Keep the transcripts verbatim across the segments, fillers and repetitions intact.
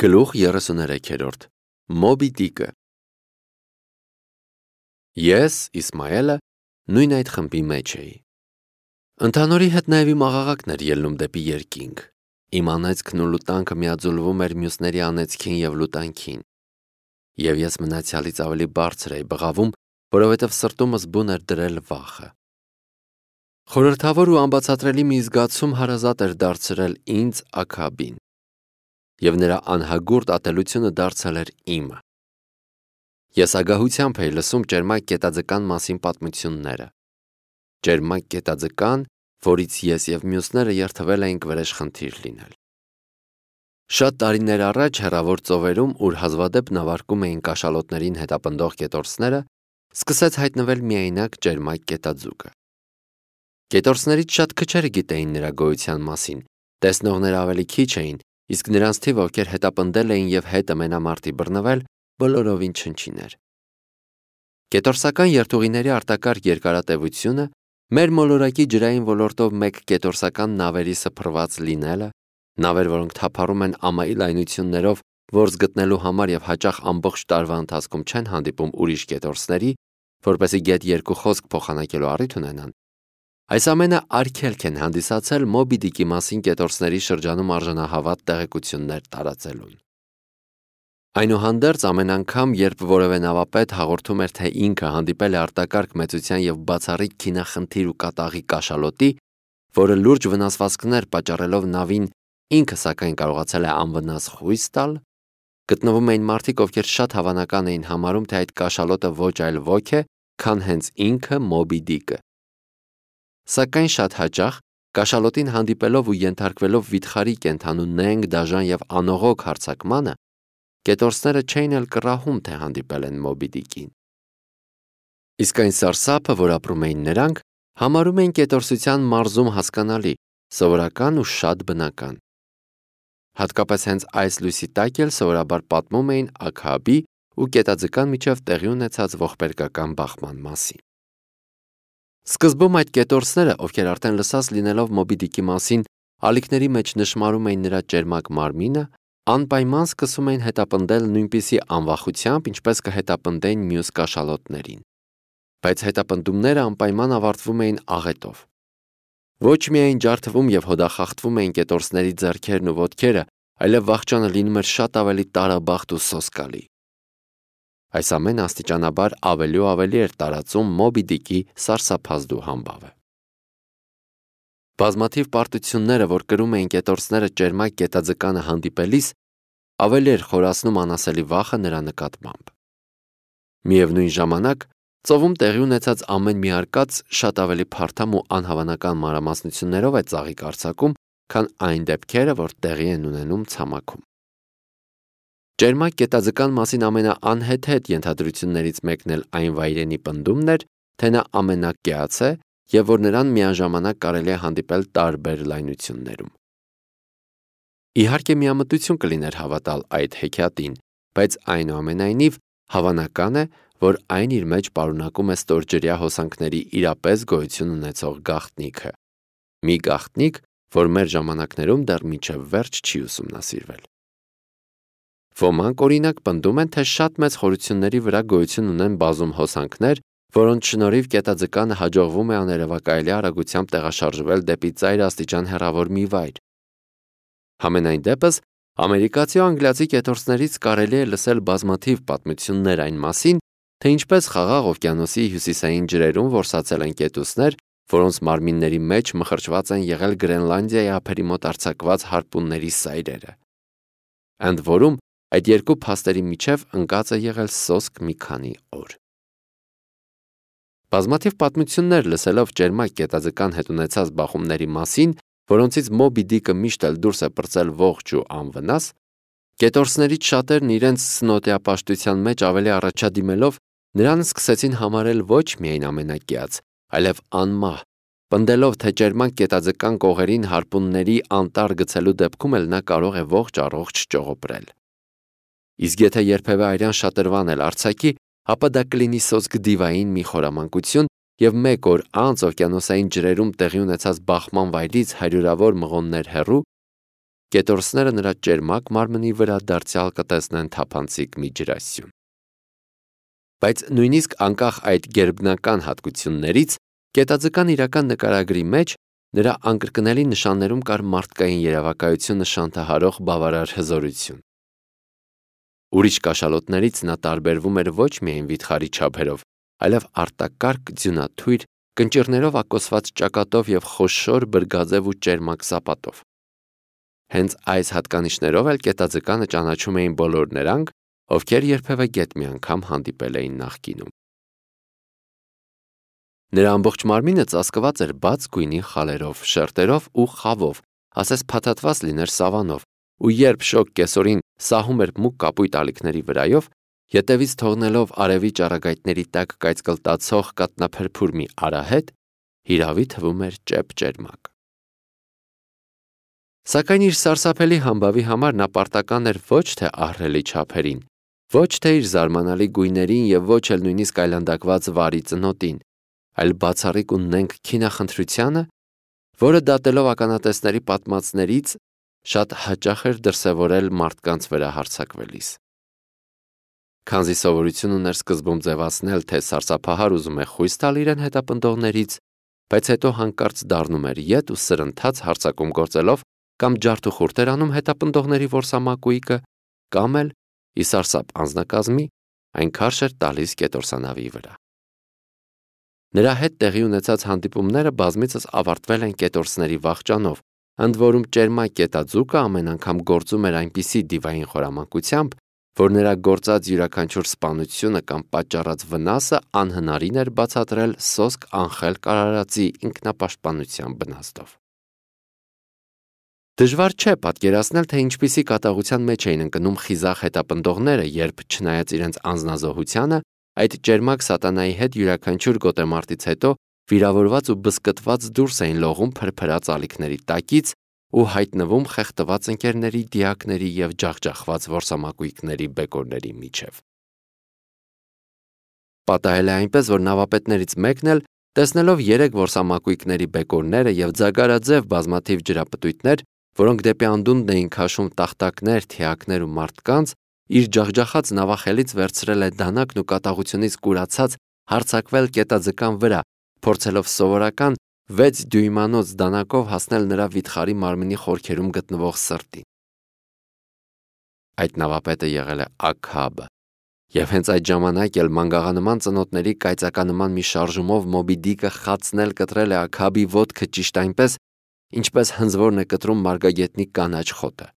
Գլուխ երեսուներեքերորդ Մոբի Դիկը Ես, Իսմայելը, նույն այդ խմբի մեջ էի։ Ընդհանորի հետ նաև իմ աղաղակն էր ելնում դեպի երկինք։ Իմ անեծքն ու լուտանքը միաձուլվում էր մյուսների անեծքին և լուտանքին։ Եվ ես մնացյալից ավելի բարձր էի բղավում, որովհետև սրտումս բուն էր դրել վախը։ Խորհրդավոր ու անբացատրելի մի զգացում հարազատ էր դարձրել ինձ Աքաբին, և նրա անհագուրդ ատելությունը դարձել էր իմը։ Ես ագահությամբ էի լսում ճերմակ գետաձկան մասին պատմությունները։ Ճերմակ գետաձկան, որից ես և մյուսները երդվել էինք վրեժխնդիր լինել։ Շատ տարիներ առաջ հեռավոր ծովերում, ուր հազվադեպ նավարկում էին կաշալոտներին հետապնդող կետորսները, սկսեց հայտնվել միայնակ ճերմակ գետաձուկը։ Կետորսներից շատ քչերը գիտեին նրա գոյության մասին, տեսնողները ավելի քիչ էին, իսկ նրանց թիվը, ովքեր հետապնդել էին և հետը մենամարտի բռնվել, բոլորովին չնչին էր։ Կետորսական երթուղիների արտակարգ երկարատևությունը, մեր մոլորակի ջրային ոլորտով մեկ կետորսական նավերի սփռված լինելը, նավեր, որոնք թափառում են ամայի լայնություններով, որս գտնելու համար և հաճախ ամբողջ տարվա ընթացքում չեն հանդիպում ուրիշ կետորսների, որպեսզի գետ երկու խոսք փոխանակելու առիթ ունենան, այս ամենը արգելք են հանդիսացել Մոբի Դիկի մասին կետորսների շրջանում արժանահավատ տեղեկություններ տարածելուն։ Այնուհանդերձ, ամեն անգամ, երբ որևէ նավապետ հաղորդում էր, թե ինքը հանդիպել է արտակարգ մեծության և բացառիկ քինախնդիր ու կատաղի կաշալոտի, որը լուրջ վնասվածքներ պատճառելով նավին, ինքը սակայն կարողացել է անվնաս խույս տալ, գտնվում էին մարդիկ, ովքեր շատ հավանական էին համարում, թե այդ կաշալոտը ոչ այլ ոք է, քան հենց ինքը Մոբի Դիկը։ Սակայն շատ հաճախ, կաշալոտին հանդիպելով ու ենթարկվելով վիթխարի կենդանու նենգ, դաժան և անողոք հարձակմանը, կետորսները չէին էլ կռահում, թե հանդիպել են Մոբի Դիկին։ Իսկ այն սարսափը, որ ապրում էին նրանք, համարում էին կետորսության մարզում հասկանալի, սովորական ու շատ բնական։ Հատկապես հենց այս լույսի տակ էլ սովորաբար պատմում էին Աքաբի ու գետաձկան միջև տեղի ունեցած ողբերգական բախման մասին։ Սկզբում այդ կետորսները, ովքեր արդեն լսած լինելով Մոբի Դիկի մասին, ալիքների մեջ նշմարում էին նրա ճերմակ մարմինը, անպայման սկսում էին հետապնդել նույնպիսի անվախությամբ, ինչպես կհետապնդեին մյուս կաշալոտներին։ Բայց հետապնդումները անպայման ավարտվում էին աղետով։ Ոչ միայն ջարդվում և հոդախախտվում էին կետորսների ձեռքերն ու ոտքերը, այլև վախճանը լինում էր շատ ավելի տարաբախտ ու սոսկալի։ Այս ամենը աստիճանաբար ավելի ու ավելի էր տարածում Մոբի Դիկի սարսափազդու համբավը։ Բազմաթիվ պարտությունները, որ կրում էին կետորսները ճերմակ գետաձկանը հանդիպելիս, ավելի էր խորացնում անասելի վախը նրա նկատմամբ։ Միևնույն ժամանակ, ծովում տեղի ունեցած ամեն մի արկած շատ ավելի փարթամ ու անհավանական մանրամասնություններով է ծաղիկ արձակում, քան այն դեպքերը, որ տեղի են ունենում ցամաքում։ Ճերմակ գետաձկան մասին ամենաանհեթեթ ենթադրություններից մեկն էլ այն վայրենի պնդումն էր, թե նա ամենակեաց է և որ նրան միաժամանակ կարելի է հանդիպել տարբեր լայնություններում։ Իհարկե միամտություն կլիներ հավատալ այդ հեքիաթին, բայց այնուամենայնիվ հավանական է, որ այն իր մեջ պարունակում է ստորջրյա հոսանքների իրապես գոյություն ունեցող գաղտնիքը, մի գաղտնիք, որ մեր ժամանակներում դեռ մինչև վերջ չի ուսումնասիրվել։ Ոմանք օրինակ պնդում են, թե շատ մեծ խորությունների վրա գոյություն ունեն բազում հոսանքներ, որոնց շնորհիվ գետաձկանը հաջողվում է աներևակայելի արագությամբ տեղաշարժվել դեպի ծայրաստիճան հեռավոր մի վայր։ Համենայն դեպս, ամերիկացի ու անգլիացի կետորսներից կարելի է լսել բազմաթիվ պատմություններ այն մասին, թե ինչպես Խաղաղ օվկիանոսի հյուսիսային ջրերում որսացել են կետուսներ, որոնց մարմինների մեջ մխրճված են եղել Գրենլանդիայի ափերի մոտ արձակված հարպունների սայրերը։ Ընդ որում, այդ երկու փաստերի միջև ընկած է եղել սոսկ մի քանի օր։ Բազմաթիվ պատմություններ լսելով ճերմակ գետաձկան հետ ունեցած բախումների մասին, որոնցից Մոբի Դիկը միշտ էլ դուրս է պրծել ողջ ու անվնաս, կետորսներից շատերն իրենց սնոտիապաշտության մեջ ավելի առաջադիմելով, նրան սկսեցին համարել ոչ միայն ամենակեաց, այլև անմահ, պնդելով, թե ճերմակ գետաձկան կողերին հարպունների անտառ գցելու դեպքում էլ նա կարող է ողջ առողջ ճողոպրել։ Իսկ եթե երբևէ արյան շատրվան էլ արձակի, ապա դա կլինի սոսկ դիվային մի խորամանկություն և մեկ օր անց օվկիանոսային ջրերում տեղի ունեցած բախման վայրից հարյուրավոր մղոններ հեռու, կետորսները նրա ճերմակ մարմնի վրա դարձյալ կտեսնեն թափանցիկ մի ջրասյուն։ Բայց նույնիսկ անկախ այդ գերբնական հատկություններից, կետաձկան իրական նկարագրի մեջ նրա անկրկնելի նշաններում կար մարդկային երևակայությունը շանթահարող բավարար հզորություն։ Ուրիշ կաշալոտներից նա տարբերվում էր ոչ միայն վիթխարի չափերով, այլև արտակարգ ձյունաթույր, կնճիռներով ակոսված ճակատով և խոշոր բրգաձև ու ճերմակ սապատով։ Հենց այս հատկանիշներով էլ կետաձկանը ճանաչում էին բոլոր նրանք, ովքեր երբևէ գետ մի անգամ հանդիպել էին նախկինում։ Նրա ամբողջ մարմինը ծածկված էր բաց գույնի խալերով, շերտերով ու խավով, ասես փաթաթված լիներ սավանով, ու երբ շոգ կեսօրին սահում էր մուգ կապույտ ալիքների վրայով, ետևից թողնելով արևի ճառագայթների տակ կայծկլտացող կաթնափրփուր մի արահետ, հիրավի թվում էր ճեպ-ճերմակ։ Սակայն իր սարսափելի համբավի համար նա պարտական էր ոչ թե ահռելի չափերին, ոչ թե իր զարմանալի գույներին և ոչ էլ նույնիսկ այլանդակված վարի ծնոտին, այլ բացառիկ ու նենգ քինախնդրությանը, որը դատելով ականատեսների պատմածներից շատ հաճախ էր դրսևորել մարդկանց վրա հարձակվելիս։ Քանզի սովորություն ուներ սկզբում ձևացնել, թե սարսափահար ուզում է խույս տալ իրեն հետապնդողներից, բայց հետո հանկարծ դառնում էր ետ ու սրընթաց հարձակում գործելով կամ ջարդ ու խուրդ էր անում հետապնդողների որսամակույկը, կամ էլ ի սարսափ անձնակազմի այն քարշ էր տալիս կետորսանավի վրա։ Նրա հետ տեղի ունեցած հանդիպումները բազմիցս ավարտվել են կետորսների վախճանով, ընդ որում ճերմակ կետաձուկը ամեն անգամ գործում էր այնպիսի դիվային խորամանկությամբ, որ նրա գործած յուրաքանչյուր սպանությունը կամ պատճառած վնասը անհնարին էր բացատրել սոսկ անխել կարարածի ինքնապաշտպանության բնաստով։ Դժվար չէ պատկերացնել, թե ինչպիսի կատաղության մեջ էին ընկնում խիզախ հետապնդողները, երբ, չնայած իրենց անձնազոհությանը, այդ ճերմակ սատանայի հետ յուրաքանչյուր գոտեմարտից հետո վիրավորված ու բզկտված դուրս էին լողում փրփրած ալիքների տակից ու հայտնվում խեղդված ընկերների, դիակների և ջախջախված որսամակույկների բեկորների միջև։ Պատահել է այնպես, որ նավապետներից մեկն էլ, տեսնելով երեք որսամակույկների բեկորները և ձագարաձև բազմաթիվ ջրապտույտներ, որոնք դեպի անդունդն էին քաշում տախտակներ, թիակներ ու մարդկանց, իր ջախջախած նավախելից վերցրել է դանակն ու կատաղությունից կուրացած հարձակվել կետաձկան վրա, փորձելով սովորական վեց դյույմանոց դանակով հասնել նրա վիթխարի մարմնի խորքերում գտնվող սրտին։ Այդ նավապետը եղել է Աքաբը, և հենց այդ ժամանակ էլ մանգաղանման ծնոտների կայծականման մի շարժումով Մոբի Դիկը խացնել կտրել է Աքաբի ոտքը ճիշտ այնպես, ինչպես հնձվորն է կտրում մարգագետնի կանաչ խոտը։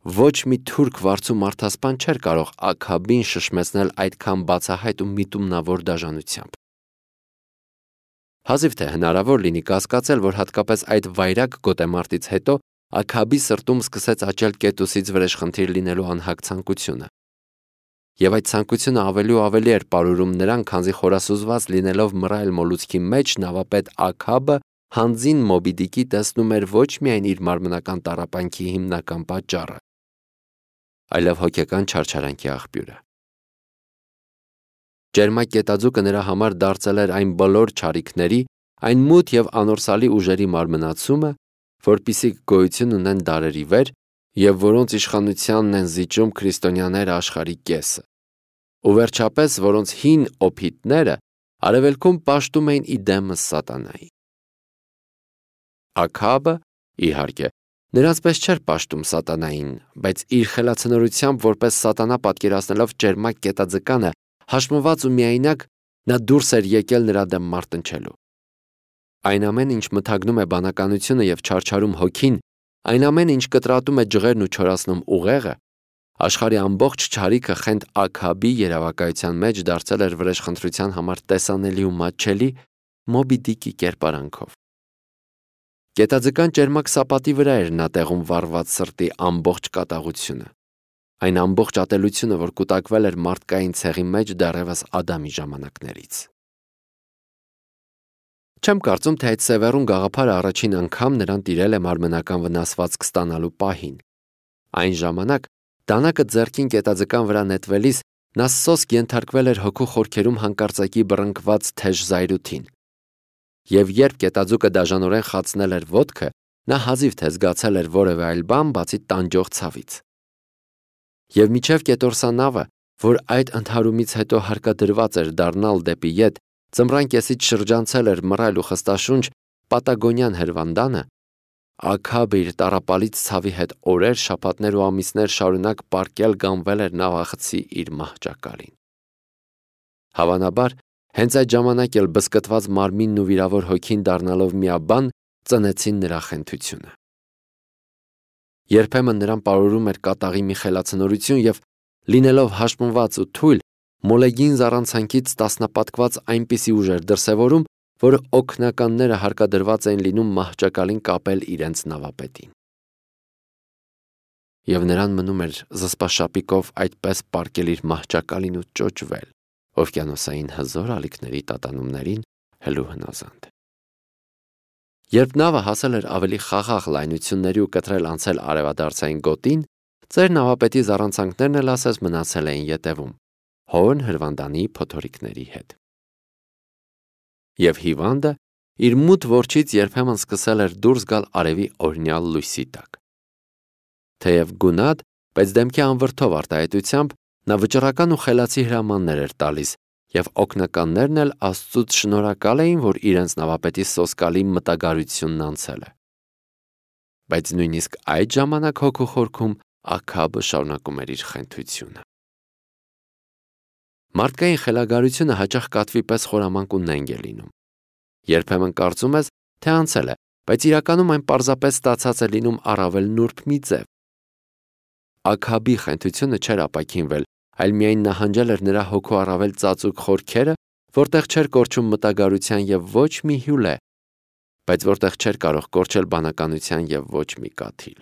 Ոչ մի թուրք վարձու մարդասպան չէր կարող Աքաբին շշմեցնել այդքան բացահայտ ու միտումնավոր դաժանությամբ։ Հազիվ թե հնարավոր լինի կասկածել, որ հատկապես այդ վայրագ գոտեմարտից հետո Աքաբի սրտում սկսեց աճել կետուսից վրեժխնդիր լինելու անհագ ցանկությունը։ Եվ այդ ցանկությունը ավելի ու ավելի էր պարուրում նրան, քանզի խորասուզված լինելով մռայլ մոլուցքի մեջ նավապետ Աքաբը հանձին Մոբի Դիկի տեսնում էր ոչ միայն իր մարմնական տառապանքի հիմնական պատճառը, այլև հոգեկան չարչարանքի աղբյուրը։ Ճերմակ կետաձուկը նրա համար դարձել էր այն բոլոր չարիքների, այն մութ և անորսալի ուժերի մարմնացումը, որպիսիք գոյություն ունեն դարերի վեր և որոնց իշխանությանն են զիջում քրիստոնյաները աշխարհի կեսը, ու վերջապես որոնց հին օփիտները արևելքում պաշտում էին իդեմս սատանայի։ Աքաբը, իհարկե, նրանց պես չէր պաշտում սատանային, բայց իր խելացնորությամբ որպես սատանա պատկերացնելով ճերմակ կետաձկանը, հաշմված ու միայնակ, նա դուրս էր եկել նրա դեմ մարտնչելու։ Այն ամենը, ինչ մթագնում է բանականությունը և չարչարում հոգին, այն ամենը, ինչ կտրատում է ջղերն ու չորացնում ուղեղը, աշխարհի ամբողջ չարիքը խենթ Աքաբի երևակայության մեջ դարձել էր վրեժխնդրության համար տեսանելի ու մատչելի Մոբի Դիկի կերպարանքով։ Կետաձկան ճերմակ սապատի վրա էր նա տեղում վառված սրտի ամբողջ կատաղությունը, այն ամբողջ ատելությունը, որ կուտակվել էր մարդկային ցեղի մեջ դեռևս Ադամի ժամանակներից։ Չեմ կարծում, թե այդ սևեռուն գաղափարը առաջին անգամ նրան տիրել է մարմնական վնասվածք ստանալու պահին։ Այն ժամանակ դանակը ձեռքին կետաձկան վրա նետվելիս նա սոսկ ենթարկվել էր հոգու խորքերում հանկարծակի բռնկված թեժ զայրույթին։ Եվ երբ կետաձուկը դաժանորեն խացնել էր ոտքը, նա հազիվ թե զգացել էր որևէ այլ բան բացի տանջող ցավից։ Եվ մինչև կետորսանավը, որ այդ ընդհարումից հետո հարկադրված էր դառնալ դեպի ետ, ձմռան կեսից շրջանցել էր մռայլ ու խստաշունչ Պատագոնյան հրվանդանը, Աքաբը իր տառապալից ցավի հետ օրեր, շաբաթներ ու ամիսներ շարունակ պառկել գանվել էր նավախցի իր մահճակալին։ Հավանաբար, հենց այդ ժամանակ էլ բզկտված մարմինն ու վիրավոր հոգին դառնալով միաբան ծնեցին նրա խենթությունը։ Երբեմն նրան պարուրում էր կատաղի մի խելացնորություն և, լինելով հաշմված ու թույլ, մոլեգին զառանցանքից տասնապատկված այնպիսի ուժ էր դրսևորում, որ օգնականները հարկադրված էին լինում մահճակալին կապել իրենց նավապետին։ Եվ նրան մնում էր զսպաշապիկով այդպես պառկել իր մահճակալին ու ճոճվել օվկիանոսային հզոր ալիքների տատանումներին հլու հնազանդ։ Երբ նավը հասել էր ավելի խաղաղ լայնությունների ու կտրել անցել արևադարձային գոտին, ծեր նավապետի զառանցանքներն էլ ասես մնացել էին ետևում, հորն հրվանդանի փոթորիկների հետ։ Եվ հիվանդը իր մութ որջից երբեմն սկսել էր դուրս գալ արևի օրհնյալ լույսի տակ։ Թեև գունատ, բայց դեմքի անվրդով արտահայտությամբ նա վճռական ու խելացի հրամաններ էր տալիս, և օգնականներն էլ Աստծուց շնորհակալ էին, որ իրենց նավապետի սոսկալի մտագարությունն անցել է։ Բայց նույնիսկ այդ ժամանակ հոգու խորքում Աքաբը շարունակում էր իր խենթությունը։ Մարդկային խելագարությունը հաճախ կատվի պես խորամանկ ու նենգ է լինում։ Երբեմն կարծում ես, թե անցել է, բայց իրականում այն պարզապես ստացած է լինում առավել նուրբ մի ձև։ Աքաբի խենթությունը չէր ապաքինվել, այլ միայն նահանջել էր նրա հոգու առավել ծածուկ խորքերը, որտեղ չէր կորչում մտագարության և ոչ մի հյուլե, բայց որտեղ չէր կարող կորչել բանականության և ոչ մի կաթիլ։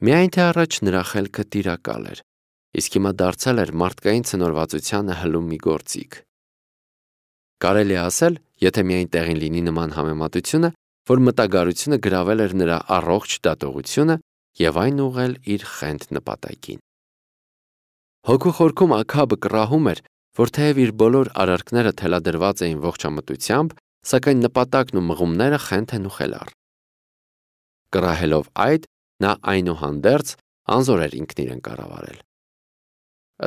Միայն թե առաջ նրա խելքը տիրակալ էր, իսկ հիմա դարձել էր մարդկային ցնորվածությանը հլում մի գործիք։ Կարելի է ասել, եթե միայն տեղին լինի նման համեմատությունը, որ մտագարությունը գրավել էր նրա առողջ դատողությունը և այն ուղղել իր խենթ նպատակին։ Հոգու խորքում Աքաբը կռահում էր, որ թեև իր բոլոր արարքները թելադրված էին ողջամտությամբ, սակայն նպատակն ու մղումները խենթ են ու խելառ։ Կռահելով այդ, նա այնուհանդերձ անզոր էր ինքն իրեն կառավարել։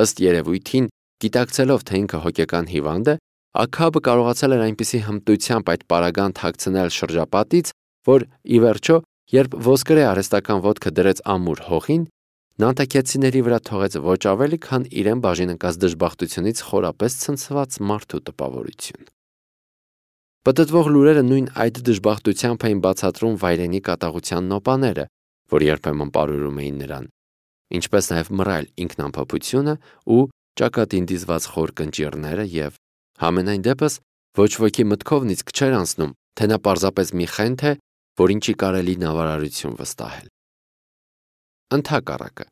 Ըստ երևույթին, գիտակցելով, թե ինքը հոգեկան հիվանդ է, Աքաբը կարողացել էր այնպիսի հմտությամբ այդ պարագան թաքցնել շրջապատից, որ, ի վերջո, երբ ոսկրե արհեստական ոտքը դրեց ամուր հողին, նանտակեցիների վրա թողեց ոչ ավելի, քան իրեն բաժին ընկած դժբախտությունից խորապես ցնցված մարդու տպավորություն։ Պտտվող լուրերը նույն այդ դժբախտությամբ էին բացատրում վայրենի կատաղության նոպաները, որ երբեմն պարուրում էին նրան, ինչպես նաև մռայլ ինքնամփոփությունը ու ճակատին դիզված խոր կնճիռները և, համենայն դեպս, ոչ ոքի մտքովն իսկ չէր անցնում, թե նա պարզապես մի խենթ է, որին չի կարելի նավարարություն վստահել։ Ընդհակառակը,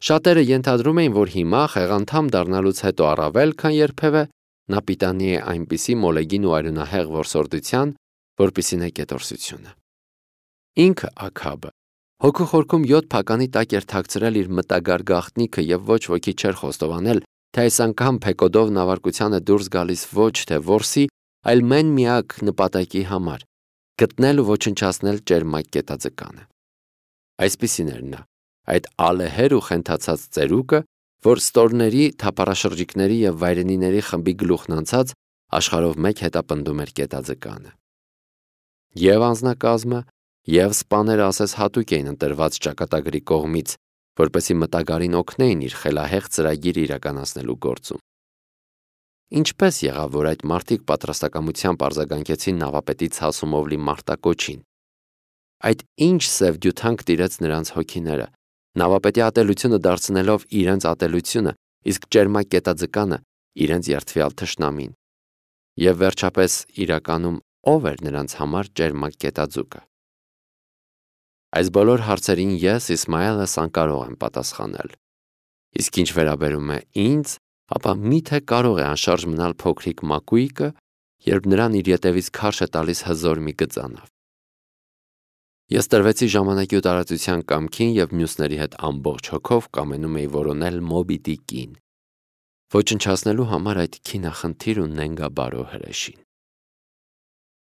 շատերը ենթադրում էին, որ հիմա խեղանդամ դառնալուց հետո առավել, քան երբևէ, նա պիտանի է այնպիսի մոլեգին ու արյունահեղ որսորդության, որպիսին է կետորսությունը։ Ինքը Աքաբը հոգու խորքում յոթ փականի տակ էր թաքցրել իր մտագար գաղտնիքը և ոչ ոքի չէր խոստովանել, թե այս անգամ փեկոդով նավարկությանը դուրս գալիս ոչ թե որսի, այլ մեն միակ նպատակի համար՝ գտնել ու ոչնչացնել ճերմակ կետաձկանը։ Այսպիսին էր նա, այդ ալեհեր ու խենթացած ծերուկը, որ ստորների, թափառաշրջիկների և վայրենիների խմբի գլուխն անցած աշխարհով մեկ հետապնդում էր կետաձկանը։ Եվ անձնակազմը, և սպաները ասես հատուկ էին ընտրված ճակատագրի կողմից, որպեսզի մտագարին օգնեին իր խելահեղ ծրագիրը իրականացնելու գործում։ Ինչպես եղավ, որ այդ մարդիկ պատրաստակամությամբ արձագանքեցին նավապետի ցասումով լի մարտակոչին։ Այդ ինչ սև դյութանք տիրեց նրանց հոգիները, նավապետի ատելությունը դարձնելով իրենց ատելությունը, իսկ ճերմակ կետաձկանը իրենց երդվյալ թշնամին։ Եվ վերջապես իրականում ով էր նրանց համար ճերմակ կետաձուկը։ Այս բոլոր հարցերին ես, Իսմայելս, անկարող եմ պատասխանել։ Իսկ ինչ վերաբերում է ինձ, ապա միթե կարող է անշարժ մնալ փոքրիկ մակույկը, երբ նրան իր ետևից քարշ է տալիս հզոր մի գծանավ։ Ես տրվեցի ժամանակի ու տարածության կամքին և մյուսների հետ ամբողջ հոգով կամենում էի որոնել Մոբի Դիկին, ոչնչացնելու համար այդ քինախնդիր ու նենգաբարո հրեշին։